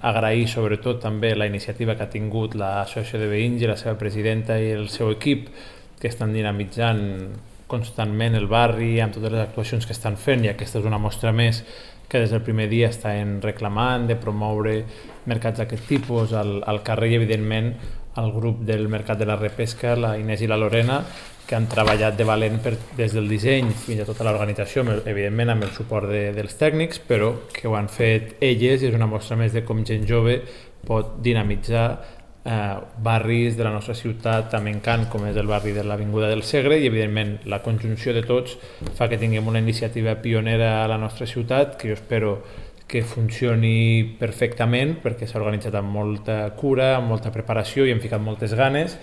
agrair sobretot també la iniciativa que ha tingut l'Associació de Veïns i la seva presidenta i el seu equip, que estan dinamitzant constantment el barri amb totes les actuacions que estan fent, i aquesta és una mostra més que des del primer dia estan reclamant de promoure mercats d'aquest tipus al carrer, i evidentment el grup del Mercat de la Repesca, la Inés i la Lorena, que han treballat de valent des del disseny fins a tota l'organització, evidentment amb el suport dels tècnics, però que ho han fet elles, i és una mostra més de com gent jove pot dinamitzar barris de la nostra ciutat tan encant com és el barri de l'Avinguda del Segre, i evidentment la conjunció de tots fa que tinguem una iniciativa pionera a la nostra ciutat, que jo espero que funcioni perfectament, perquè s'ha organitzat amb molta cura, amb molta preparació, i hem ficat moltes ganes